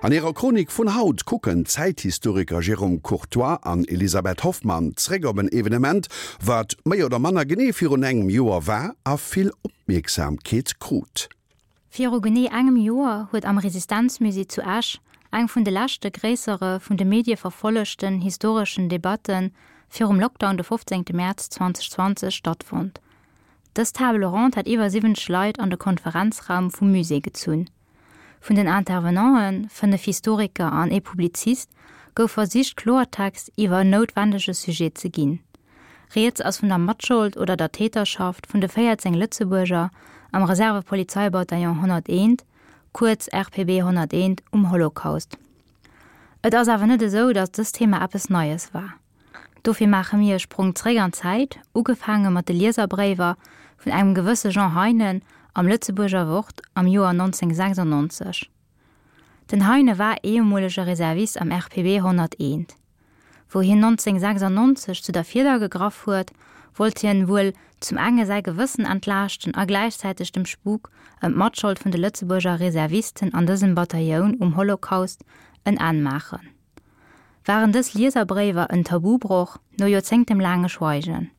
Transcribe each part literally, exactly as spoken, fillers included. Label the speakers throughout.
Speaker 1: An hirer Chronik vun haut kucken d'Zäithistoriker Jérôme Courtoy an Elisabeth Hoffmann zréck op en Evenement, wat méi oder manner genee virun engem Joer war a vill Opmierksamkeet krut.
Speaker 2: Viru genee engem Joer huet am Resistenzmusée zu Esch eng vun de leschte gréissere vun de Medie verfollegten historeschen Debatte virum Lockdown de fofzéngte Mäerz zweedausendzwanzeg stattfonnt. Dës Table ronde hat iwwer siwwenzeg Leit an de Konferenzraum vum Musée gezunn. Vun den Intervenanten, fënnef Historiker an ee Publizist, gouf versicht Kloertext iwwer en noutwendege Sujet ze ginn. Rieds ass vun der Matschold oder der Täterschaft vun de véierzéng Lëtzebuerger am Reserve-Polizeibataillon honnerteent, kuerz R P B honnerteent, um Holocaust. Et ass awer net esou, datt dëst Thema eppes Neies war. Dofir maache mir e Sprong zréck an d'Zäit, ugefaange mat de Lieserbréiwer vun engem gewësse Jean Heinen am Lëtzebuerger Wort am Joer nonzénghunnertsechsannonzeg. Den Heine war ehemolege Reservist am R P B honnerteent. Wou hien nonzénghunnertsechsannonzeg zu der Fieder gegraff huet, wollt hien wuel zum enge säi Gewëssen entlaaschten a gläichzäiteg dem Spuk ëm d'Matschold vun de Lëtzebuerger Reservisten an dësem Batailloun um Holocaust en Enn maachen. Waren dës Lieserbréiwer en Tabubroch no joerzéngtelaange Schweigen?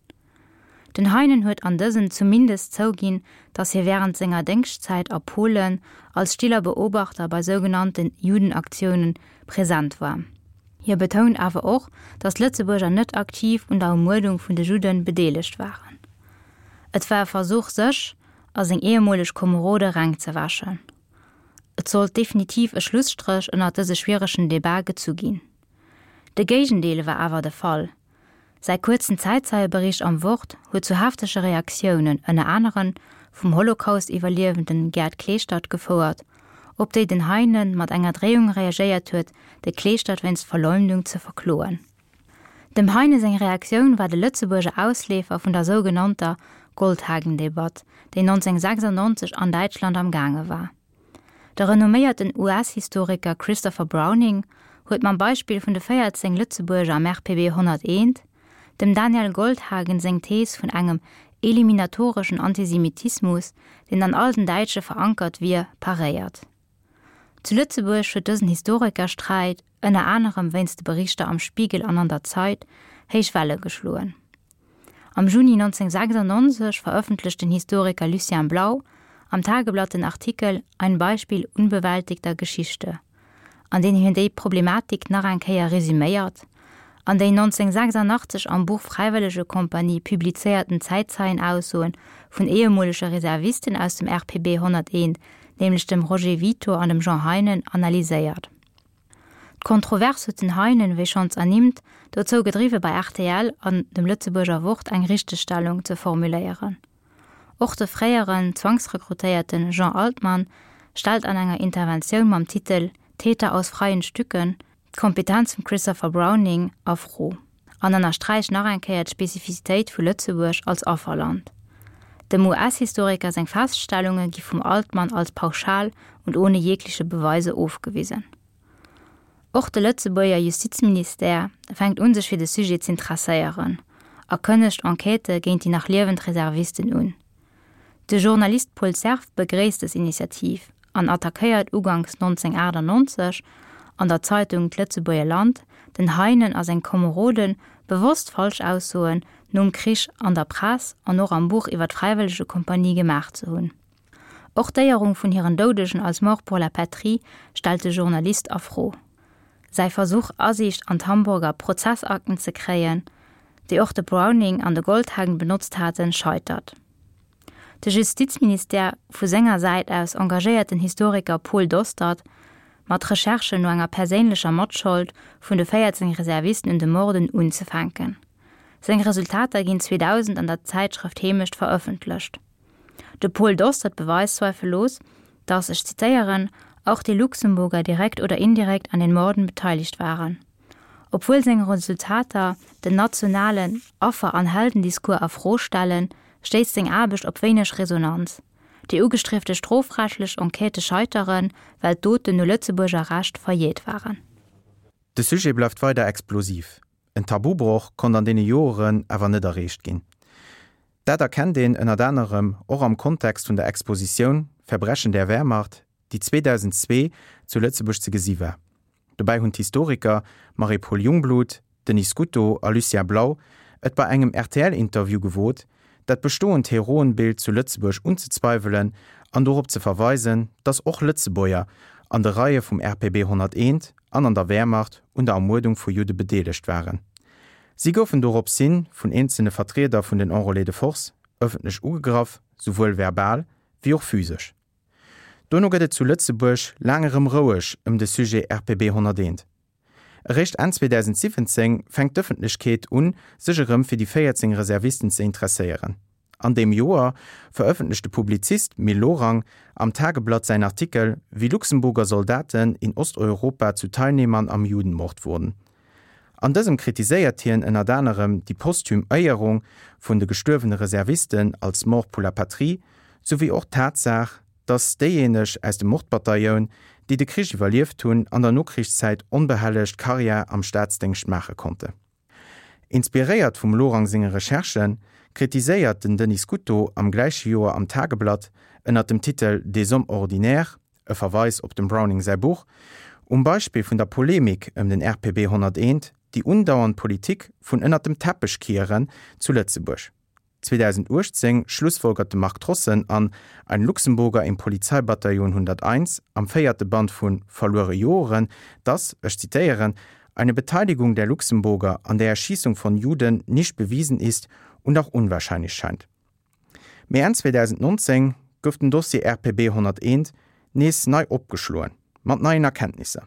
Speaker 2: Den Heinen huet an dësen zumindest zouginn, datt hie wärend senger Déngschtzäit a Polen als stiller Beobachter bei sougenannten Judenaktiounen present war. Hie betount awer och, datt Lëtzebuerger net aktiv un der Ermuerdung vun de Judden bedeelegt waren. Et war e Versuch sech a seng ehemoleg Komerode reng ze wäschen. Et sollt definitiv e Schlusstréch ënner dëse schwieregen Debat gezu ginn. De Géigendeel war awer de Fall. Säi kuerzen Zäitzeierbericht am Wort huet zu heftege Reaktiounen ënner aneren vum Holocaust-Iwwerliewenden Gerd Kleeschtert gefouert, op déi den Heinen mat enger Dreeung reagéiert huet, de Kleeschtert wéinst Verleumdung ze verkloen. Dem Heine seng Reaktioun war de Lëtzebuerger Ausleefer vun der sougenannter Goldhagen-Debatt, déi nonzénghunnertsechsannonzeg an Däitschland am gaange war. De renomméierten U S-Historiker Christopher Browning huet mam Beispill vun de véierzéng Lëtzebuerger am R P B honnerteent dem Daniel Goldhagen seng Thees vun engem eliminatoreschen Antisemitismus, deen an all den Däitsche verankert wier, paréiert. Zu Lëtzebuerg huet dësen Historikersträit, ënner anerem wéinst de Berichter am Spiegel an an der Zeit, héich Welle geschloen. Am Juni nonzénghunnertsechsannonzeg verëffentlecht den Historiker Lucien Blau am Tageblatt den Artikel Ein Beispiel unbewältigter Geschichte, an deem hien déi Problematik nach eng Kéier resüméiert, an déi nonzénghunnertsechsannachtzeg am Buch Fräiwëllegekompanie publizéierten Zäitzeienaussoen vun ehemolege Reservisten aus dem R P B honnerteent, nämlech dem Roger Vietor an dem Jean Heinen, analyséiert. D'Kontrovers huet den Heinen, wéi schonns ernimmt, dozou gedriwwe bei R T L an dem Lëtzebuerger Wort eng Richtegstellung ze formuléieren. Och de fréieren Zwangsrekrutéierten Jean Altmann stellt an enger Interventioun mam Titel Täter aus freien Stücken d'Kompetenz vum Christopher Browning a Fro an ënnersträicht nach eng Kéier d'Spezifizitéit vu Lëtzebuerg als Afferland. Dem U S-Historiker seng Feststellunge gi vum Altmann als pauschal und ohne jegliche Beweise ofgewisen. Och de Lëtzebuerger Justizministère fänkt un sech fir de Sujet z'interesséieren a kënnegt Enquêtë géint déi nach liewend Reservisten un. De Journalist Paul Cerf begréisst dës Initiativ an attackéiert uganks nonzénghunnertaachtannonzeg an der Zeitung D'Lëtzebuerger Land den Heinen a seng Komeroden, bewosst Falschaussoen nom Krich an der Press an och am Buch iwwer d'Fräiwëllegekompanie gemaach ze hunn. Och d'Éierung vun hiren Doudegen als Mort pour la patrie stellt de Journalist a Fro. Säi Versuch Asiicht an d'Hamburger Prozessakten ze kréien, déi och de Browning an de Goldhagen benotzt haten, scheitert. De Justizministère vu senger Säit aus engagéiert den Historiker Paul Dostert, mat Recherchen no enger perséinlecher Matschold vun de véierzéng Reservisten un de Morden unzefänken. Seng Resultater ginn zweedausend an der Zäitschrëft Heemecht verëffentlecht. De Paul Dostert beweist zweifellos, dass, ech zitéieren, auch die Luxemburger direkt oder indirekt an den Morden beteiligt waren. Obwuel seng Resultater den nationalen Affer- an Heldendiskurs a Fro stellen, stéisst seng Aarbecht op wéineg Resonanz. Déi ugestriefte strofrechtlech Enquêtë scheiteren, well d'Doten no Lëtzebuerger Recht verjäert waren.
Speaker 3: De Sujet bleift weider explosiv. En Tabubroch konnt an deene Joren awer net erreecht ginn. Dat erkennt een ënner anerem och am Kontext vun der Expositioun Verbrechen der Wehrmacht, déi zweedausendzwee zu Lëtzebuerg ze gesi war. Dobäi hunn d'Historiker Marie-Paule Jungblut, Denis Scuto a Lucien Blau et bei engem R T L-Interview gewot, dat bestoend Heroenbild zu Lëtzebuerg unzezweiwelen an dorop ze verweisen, datt och Lëtzebuerger an de Reie vum R P B honnerteent an an der Wehrmacht un der Ermuerdung vu Judde bedeelegt waren. Si goufen doropshi vun eenzelne Vertrieder vun den Enrôlés de force ëffentlech ugegraff, souwuel verbal wéi och physesch. Dono gëtt et zu Lëtzebuerg laang erëm roueg ëm de Sujet R P B honnerteent. Eréischt Enn zweedausentsiwwenzéng fänkt d'Ëffentlechkeet un, sech erëm fir déi véierzéng Reservisten ze interesséieren. An deem Joer verëffentlecht de Publizist Mil Lorang am Tageblatt säin Artikel Wie Luxemburger Soldaten in Osteuropa zu Teilnehmern am Judenmord wurden. An dësem kritiséiert hien ënnert anerem déi posthum Éierung vun de gestuerwene Reservisten als Morts pour la patrie, souwéi och d'Tatsaach, datt déijéineg aus dem Mordbataillon, déi de Krich iwwerlieft hunn, an der Nokrichszäit onbehellegt Karriär am Staatsdéngscht maache konnten. Inspiréiert vum Lorang senge Recherchen, kritiséiert den Denis Scuto am gläiche Joer am Tageblatt ënner dem Titel Des hommes ordinaires, e Verweis op dem Browning säi Buch, um Beispill vun der Polemik ëm den R P B honnerteent déi undauernd Politik vun ënner dem Teppech kieren zu Lëtzebuerg. zweedausenduechtzéng schlussfolgert de Marc Trossen an Ein Luxemburger im Polizeibataillon hunderteins am véierte Band vu Verluere Joren, dass, ech zitéieren, eine Beteiligung der Luxemburger an der Erschießung von Juden nicht bewiesen ist und auch unwahrscheinlich scheint. Mee Enn zweedausendnonzéng gouf den Dossier R P B honnerteent nees nei opgeschloen, mat neien Erkenntnisser.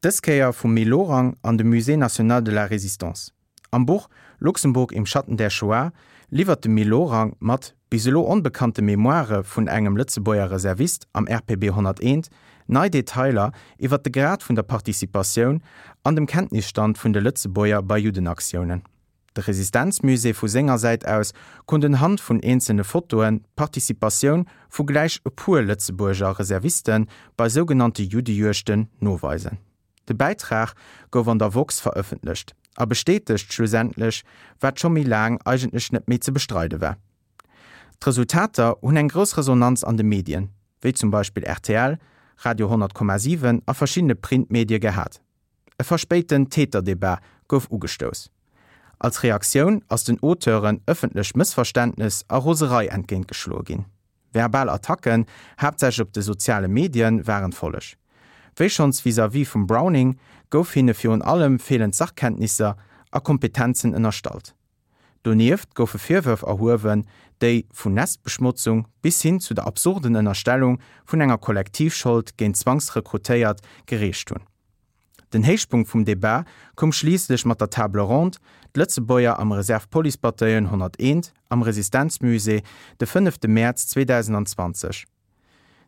Speaker 3: Dës Kéier vum Mil Lorang an dem Musée national de la Résistance. Am Buch Luxemburg im Schatten der Shoah liwwert de Mil Lorang mat bis elo onbekannte Memoirë vun engem Lëtzebuerger Reservist am R P B honnerteent nei Detailer iwwer de Grad vun der Participatioun an dem Kenntnisstand vun de Lëtzebuerger bei Juddenaktiounen. De Resistenzmusée vu senger Säit aus konnt unhand vun eenzelne Fotoen d'Participatioun vu gläich e puer Lëtzebuerger Reserviste bei sougenannte Juddejuegten noweisen. De Bäitrag gouf an der woxx verëffentlecht a bestätegt schlussendlech, wat scho méi laang eigentlech net méi ze bestreide war. D'Resultater hunn eng grouss Resonanz an de Medien, wéi zum Beispill R T L, Radio honnert Komma siwen a verschiddene Printmedie gehat. E verspéiten Täterdebat gouf ugestouss. Als Reaktioun ass den Auteuren ëffentlech Mëssverständnes a Roserei entgéintgeschloe ginn. Verbal Attacken, haaptsächlech op de soziale Medien, waren d'Folleg. Wéi schonns vis-à-vis vum Browning gouf hinne virun allem feelend Sachkenntnisser a Kompetenzen ënnerstallt. Donieft goufe Virwërf erhuewen, déi vun Nestbeschmotzung bis hin zu der absurden Ënnerstellung vun enger Kollektivschold géint Zwangsrekrutéiert gereecht hunn. Den Héichpunkt vum Debat koum schliisslech mat der Table ronde D'Lëtzebuerger am Reserve-Police-Bataillon honnerteent am Resistenzmusée de fënnefte Mäerz zweedausendzwanzeg.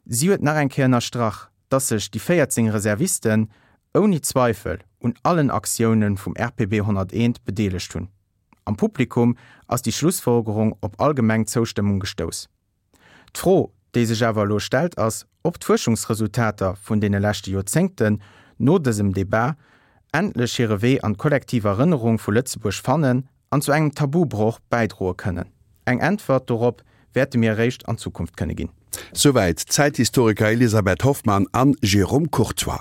Speaker 3: Si huet nach eng Kéier ënnerstrach, dass sech déi véierzéng Reservisten ouni Zweifel un allen Aktioune vum R P B honnerteent bedeelegt hunn. Am Publikum ass déi Schlussfolgerung op allgemeng Zoustëmmung gestouss. D'Fro, déi sech awer elo stellt, ass, ob d'Fuerschungsresultater vun deene leschte Joerzéngten no dësem Debat endlech hire Wee an d'kollektiv Erënnerung vu Lëtzebuerg fannen an zu engem Tabubroch bäidroe kënnen. Eng Äntwert dorop wäerte mir eréischt an Zukunft kënne ginn.
Speaker 1: Souwäit d'Zäithistoriker Elisabeth Hoffmann an Jérôme Courtoy.